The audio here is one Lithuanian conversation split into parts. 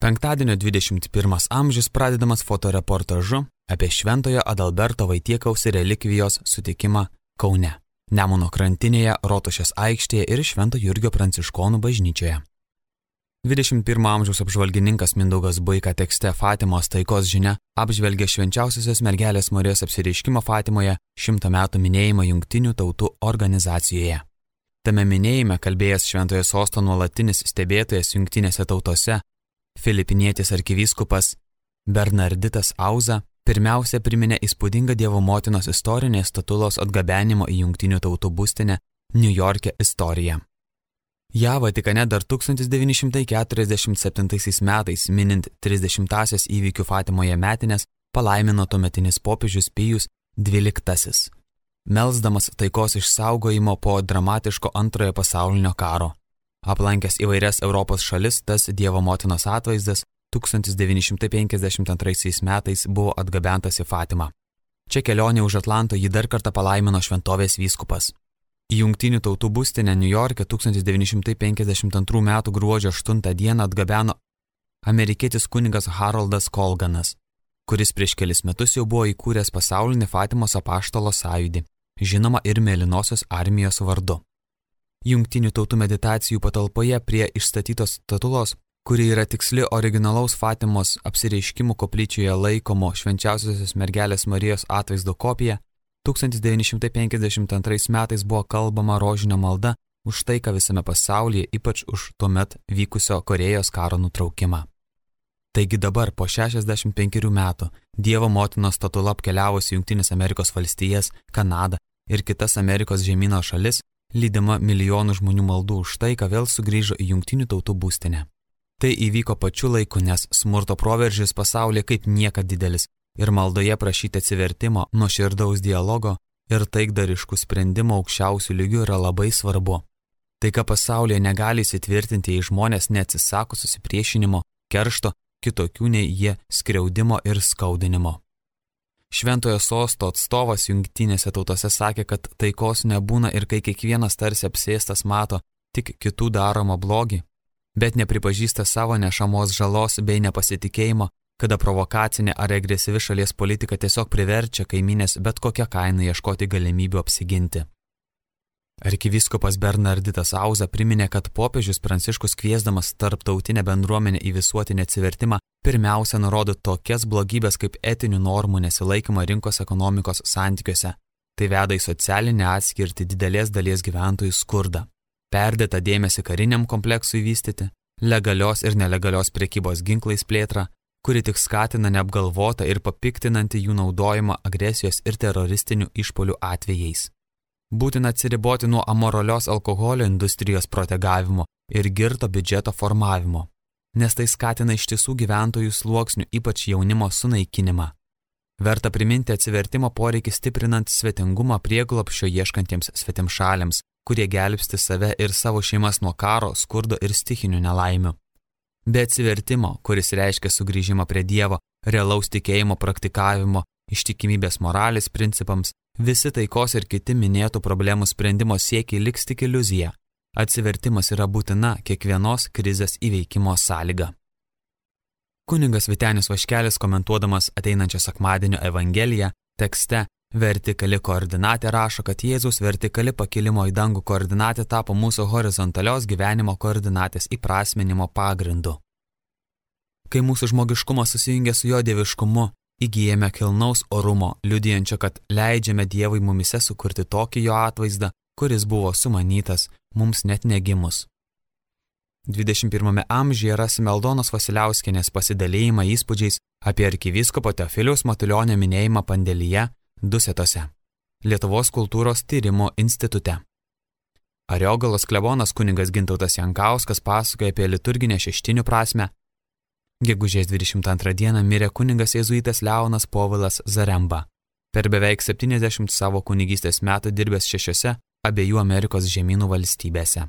Penktadienio 21 amžius pradedamas fotoreportažu apie Šventojo Adalberto Vaitiekaus relikvijos sutikimą Kaune, Nemuno krantinėje, Rotušės aikštėje ir Švento Jurgio pranciškonų bažnyčioje. 21 amžiaus apžvalgininkas Mindaugas Buika tekste Fatimos taikos žinia apžvelgia švenčiausiosios mergelės Marijos apsireiškimo Fatimoje 100 metų minėjimą Jungtinių tautų organizacijoje. Tame minėjime kalbėjęs Šventojo sosto nuolatinis stebėtojas Jungtinėse tautose, filipinietis arkivyskupas Bernarditas Auza pirmiausia priminė įspūdingą Dievo motinos istorinės statulos atgabenimo į Jungtinių tautų būstinę Niujorke istoriją. Ja Vatikane dar 1947 metais, minint 30-asias įvykių Fatimoje metinės, palaimino tuometinis popiežius Pijus XII, melsdamas taikos išsaugojimo po dramatiško Antrojo pasaulinio karo. Aplankęs įvairias Europos šalis, tas Dievo motinos atvaizdas 1952 metais buvo atgabentas į Fatimą. Čia kelionė už Atlanto jį dar kartą palaimino šventovės vyskupas. Į Jungtinių tautų būstinę Niujorke 1952 m. gruodžio 8 d. atgabeno amerikietis kunigas Haroldas Colganas, kuris prieš kelis metus jau buvo įkūręs pasaulinį Fatimos apaštalo sąjūdį, žinoma ir Mėlynosios armijos vardu. Jungtinių tautų meditacijų patalpoje prie išstatytos statulos, kuri yra tiksli originalaus Fatimos apsireiškimų koplyčioje laikomo švenčiausiosios mergelės Marijos atvaizdo kopija, 1952 metais buvo kalbama rožinio malda už taiką visame pasaulyje, ypač už tuomet vykusio Korėjos karo nutraukimą. Taigi dabar po 65 metų Dievo motinos statula apkeliavusi Jungtinės Amerikos valstijas, Kanadą ir kitas Amerikos žemyno šalis, lydima milijonų žmonių maldų už taiką, vėl sugrįžo į Jungtinių tautų būstinę. Tai įvyko pačiu laiku, nes smurto proveržis pasaulyje kaip niekad didelis ir maldoje prašyti atsivertimo, nuoširdaus dialogo ir taikdariškų sprendimų aukščiausių lygių yra labai svarbu. Taika pasaulyje negali įsitvirtinti, jei žmonės neatsisako susipriešinimo, keršto, kitokių nei jie skriaudimo ir skaudinimo. Šventojo sosto atstovas Jungtinėse tautose sakė, kad taikos nebūna ir kai kiekvienas tarsi apsėstas mato tik kitų daromą blogį, bet nepripažįsta savo nešamos žalos bei nepasitikėjimo, kada provokacinė ar agresyvi šalies politika tiesiog priverčia kaimynės bet kokią kainą ieškoti galimybių apsiginti. Arkivyskupas Bernarditas Auza priminė, kad popiežius Pranciškus kviesdamas tarptautinę bendruomenę į visuotinį atsivertimą pirmiausia nurodo tokias blogybės kaip etinių normų nesilaikymą rinkos ekonomikos santykiuose. Tai veda į socialinę atskirtį didelės dalies gyventojų skurdą, perdėtą dėmesį kariniam kompleksui vystyti, legalios ir nelegalios prekybos ginklais plėtrą, kuri tik skatina neapgalvotą ir papiktinantį jų naudojimą agresijos ir teroristinių išpuolių atvejais. Būtina atsiriboti nuo amoralios alkoholio industrijos protegavimo ir girto biudžeto formavimo, nes tai skatina ištisų gyventojų sluoksnių, ypač jaunimo sunaikinimą. Verta priminti atsivertimo poreikį stiprinant svetingumą prieglobsčio ieškantiems svetimšaliams, kurie gelbsti save ir savo šeimas nuo karo, skurdo ir stichinių nelaimių. Be atsivertimo, kuris reiškia sugrįžimą prie Dievo, realaus tikėjimo praktikavimo, ištikimybės moralės principams, visi taikos ir kiti minėtų problemų sprendimo siekiai liks tik iliuzija. Atsivertimas yra būtina kiekvienos krizės įveikimo sąlyga. Kunigas Vytenis Vaškelis, komentuodamas ateinančio sekmadienio Evangeliją, tekste Vertikali koordinatė rašo, kad Jėzaus vertikali pakilimo į dangų koordinatė tapo mūsų horizontalios gyvenimo koordinatės įprasminimo pagrindu. Kai mūsų žmogiškumas susijungia su jo dieviškumu, įgyjame kilnaus orumo, liudijančio, kad leidžiame Dievui mumise sukurti tokį jo atvaizdą, kuris buvo sumanytas mums net negimus. 21 amžiuje rasime Aldonos Vasiliauskienės pasidalėjimą įspūdžiais apie arkivyskupo Teofiliaus Matulionio minėjimą Pandėlyje, Dusetose, Lietuvos kultūros tyrimo institute. Ariogalos klebonas kunigas Gintautas Jankauskas pasakoja apie liturginę šeštinių prasmę. Gegužės 22 dieną mirė kunigas jėzuitas Leonas Povilas Zaremba, per beveik 70 savo kunigystės metų dirbęs 6 abiejų Amerikos žemynų valstybėse.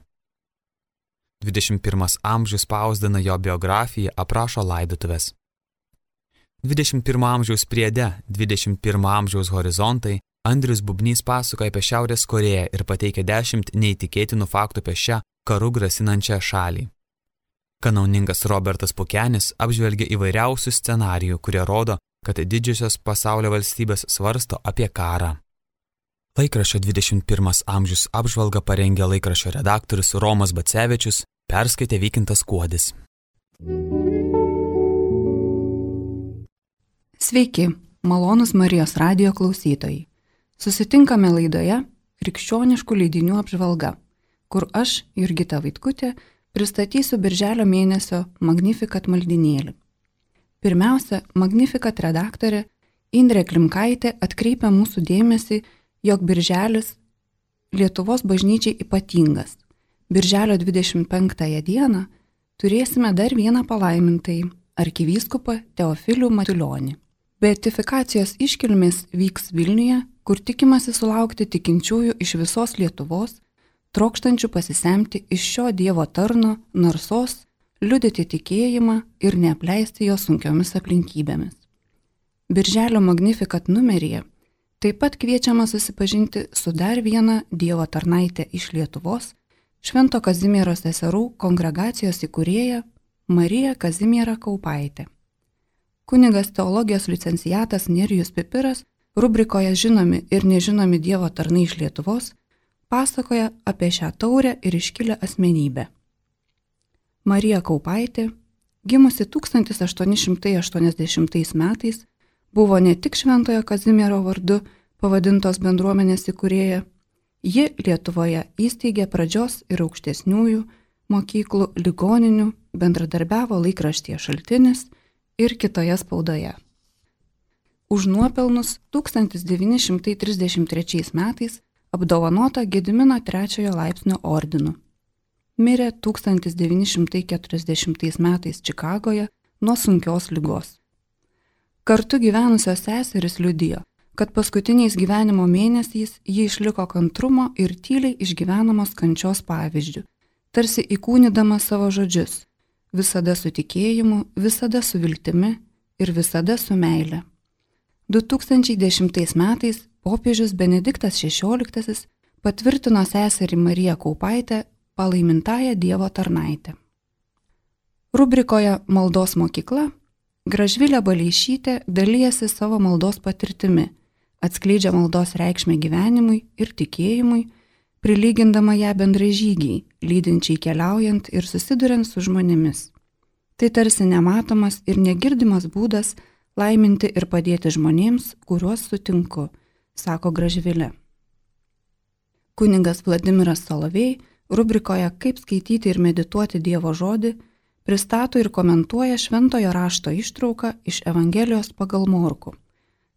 21 amžius spausdina jo biografiją, aprašo laidotuvės. 21 amžiaus priede, 21 amžiaus horizontai, Andrius Bubnys pasakoja apie Šiaurės Korėją ir pateikia 10 neįtikėtinų faktų apie šią karų grasinančią šalį. Kanauningas Robertas Pukenis apžvelgia įvairiausių scenarijų, kurie rodo, kad didžiosios pasaulio valstybės svarsto apie karą. Laikraščio 21 amžius apžvalgą parengė laikraščio redaktorius Romas Bacevičius, perskaitė Vykintas Kuodis. Sveiki, malonūs Marijos radijo klausytojai. Susitinkame laidoje Krikščioniškų leidinių apžvalga, kur aš, Jurgita Vaitkutė, pristatysiu birželio mėnesio Magnificat maldynėlį. Pirmiausia, Magnificat redaktorė Indrė Klimkaitė atkreipia mūsų dėmesį, jog birželis Lietuvos bažnyčiai ypatingas. Birželio 25 dieną turėsime dar vieną palaimintąjį arkivyskupą Teofilių Matulionį. Beatifikacijos iškilmės vyks Vilniuje, kur tikimasi sulaukti tikinčiųjų iš visos Lietuvos, trokštančių pasisemti iš šio Dievo tarno narsos, liudyti tikėjimą ir neapleisti jo sunkiomis aplinkybėmis. Birželio Magnificat numeryje taip pat kviečiama susipažinti su dar viena Dievo tarnaitė iš Lietuvos, Švento Kazimiero seserų kongregacijos įkūrėja Marija Kazimiera Kaupaitė. Kunigas teologijos licenciatas Nerijus Pipiras rubrikoje Žinomi ir nežinomi Dievo tarnai iš Lietuvos pasakoja apie šią taurę ir iškilę asmenybę. Marija Kaupaitė, gimusi 1880 metais, buvo ne tik Šventojo Kazimiero vardu pavadintos bendruomenės įkūrėja, ji Lietuvoje įsteigė pradžios ir aukštesniųjų mokyklų, ligoninių, bendradarbiavo laikraštyje Šaltinis ir kitoje spaudoje. Už nuopelnus 1933 metais apdovanota Gedimino III laipsnio ordinu. Mirė 1940 metais Čikagoje nuo sunkios ligos. Kartu gyvenusios seserys liudijo, kad paskutiniais gyvenimo mėnesiais ji išliko kantrumo ir tyliai išgyvenamos kančios pavyzdžių, tarsi įkūnydama savo žodžius, visada su tikėjimu, visada su viltimi ir visada su meile. 2010 metais popiežius Benediktas XVI patvirtino seserį Mariją Kaupaitę palaimintąją Dievo tarnaitę. Rubrikoje Maldos mokykla Gražvilė Baleišytė dalijasi savo maldos patirtimi, atskleidžia maldos reikšmę gyvenimui ir tikėjimui, prilygindama ją bendražygiai, lydinčiai keliaujant ir susiduriant su žmonėmis. Tai tarsi nematomas ir negirdimas būdas laiminti ir padėti žmonėms, kuriuos sutinku, sako Gražvilė. Kunigas Vladimiras Solovej rubrikoje Kaip skaityti ir medituoti Dievo žodį pristato ir komentuoja šventojo rašto ištrauką iš Evangelijos pagal Morkų,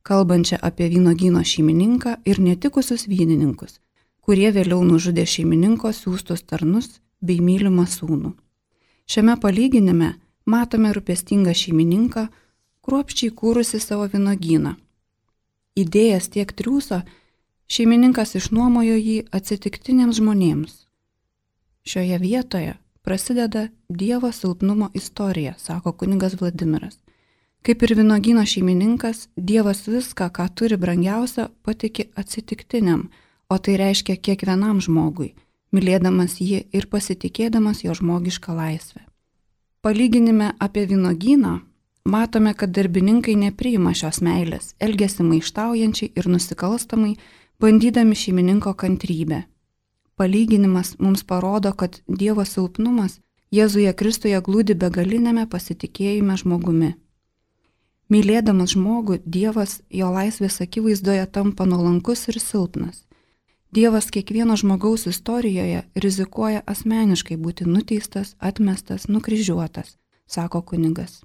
kalbančią apie vynuogyno šeimininką ir netikusius vynininkus, kurie vėliau nužudė šeimininko siųstus tarnus bei mylimą sūnų. Šiame palyginime matome rūpestingą šeimininką, kruopščiai kūrusi savo vynuogyną. Įdėjęs tiek triūso, šeimininkas išnuomojo jį atsitiktiniams žmonėms. Šioje vietoje prasideda Dievo silpnumo istorija, sako kunigas Vladimiras. Kaip ir vynuogyno šeimininkas, Dievas viską, ką turi brangiausia, patiki atsitiktiniam, o tai reiškia kiekvienam žmogui, mylėdamas jį ir pasitikėdamas jo žmogišką laisvę. Palyginime apie vynuogyną matome, kad darbininkai nepriima šios meilės, elgiasi maištaujančiai ir nusikalstamai, bandydami šeimininko kantrybę. Palyginimas mums parodo, kad Dievo silpnumas Jėzuje Kristuje glūdi begalinėme pasitikėjime žmogumi. Mylėdamas žmogų, Dievas jo laisvės akivaizdoje tampa nuolankus ir silpnas. Dievas kiekvieno žmogaus istorijoje rizikuoja asmeniškai būti nuteistas, atmestas, nukryžiuotas, sako kunigas.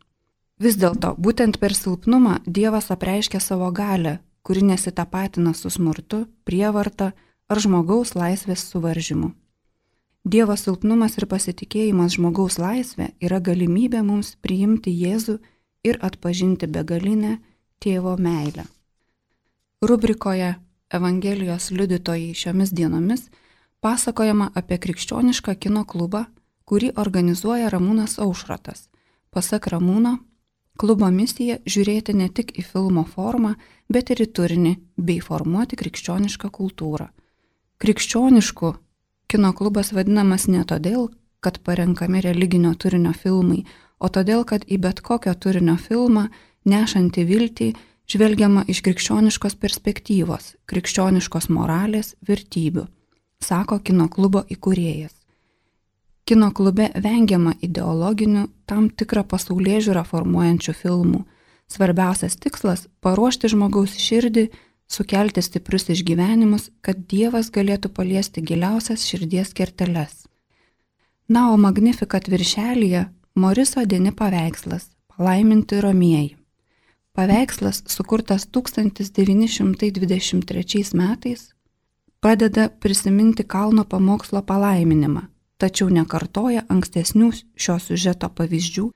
Vis dėlto, būtent per silpnumą Dievas apreiškia savo galią, kuri nesitapatina su smurtu, prievarta ar žmogaus laisvės suvaržymu. Dievo silpnumas ir pasitikėjimas žmogaus laisvė yra galimybė mums priimti Jėzų ir atpažinti begalinę tėvo meilę. Rubrikoje Evangelijos liudytojai šiomis dienomis pasakojama apie krikščionišką kino klubą, kurį organizuoja Ramūnas Aušrotas. Pasak Ramūno, klubo misija žiūrėti ne tik į filmo formą, bet ir į turinį bei formuoti krikščionišką kultūrą. Krikščionišku kino klubas vadinamas ne todėl, kad parenkami religinio turinio filmai, o todėl, kad į bet kokio turinio filmą, nešantį viltį, žvelgiama iš krikščioniškos perspektyvos, krikščioniškos moralės, vertybių, sako kino klubo įkūrėjas. Kino klube vengiama ideologinių, tam tikrą pasaulėžiūrą formuojančių filmų. Svarbiausias tikslas – paruošti žmogaus širdį, sukelti stiprius išgyvenimus, kad Dievas galėtų paliesti giliausias širdies kerteles. Na, o Magnificat viršelyje Moriso Deni paveikslas Palaiminti romieji. Paveikslas, sukurtas 1923 metais, pradeda prisiminti kalno pamokslo palaiminimą, tačiau nekartoja ankstesnių šio siužeto pavyzdžių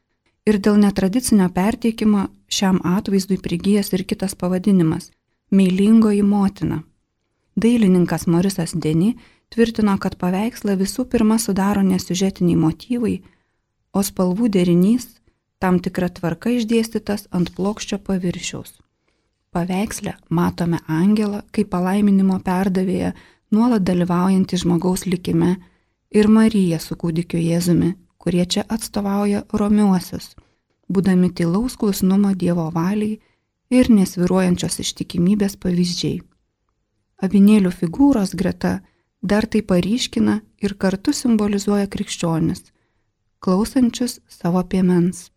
ir dėl netradicinio perteikimo šiam atvaizdui prigijęs ir kitas pavadinimas – Meilingoji motina. Dailininkas Morisas Deni tvirtino, kad paveikslą visų pirma sudaro nesiužetiniai motyvai, o spalvų derinys tam tikra tvarka išdėstytas ant plokščio paviršiaus. Paveiksle matome angelą kaip palaiminimo perdavėją, nuolat dalyvaujantį žmogaus likime, ir Mariją su kūdikiu Jėzumi, kurie čia atstovauja romiuosius, būdami tylaus klusnumo Dievo valiai ir nesvyruojančios ištikimybės pavyzdžiai. Avinėlių figūros greta dar tai paryškina ir kartu simbolizuoja krikščionis, klausančius savo piemens.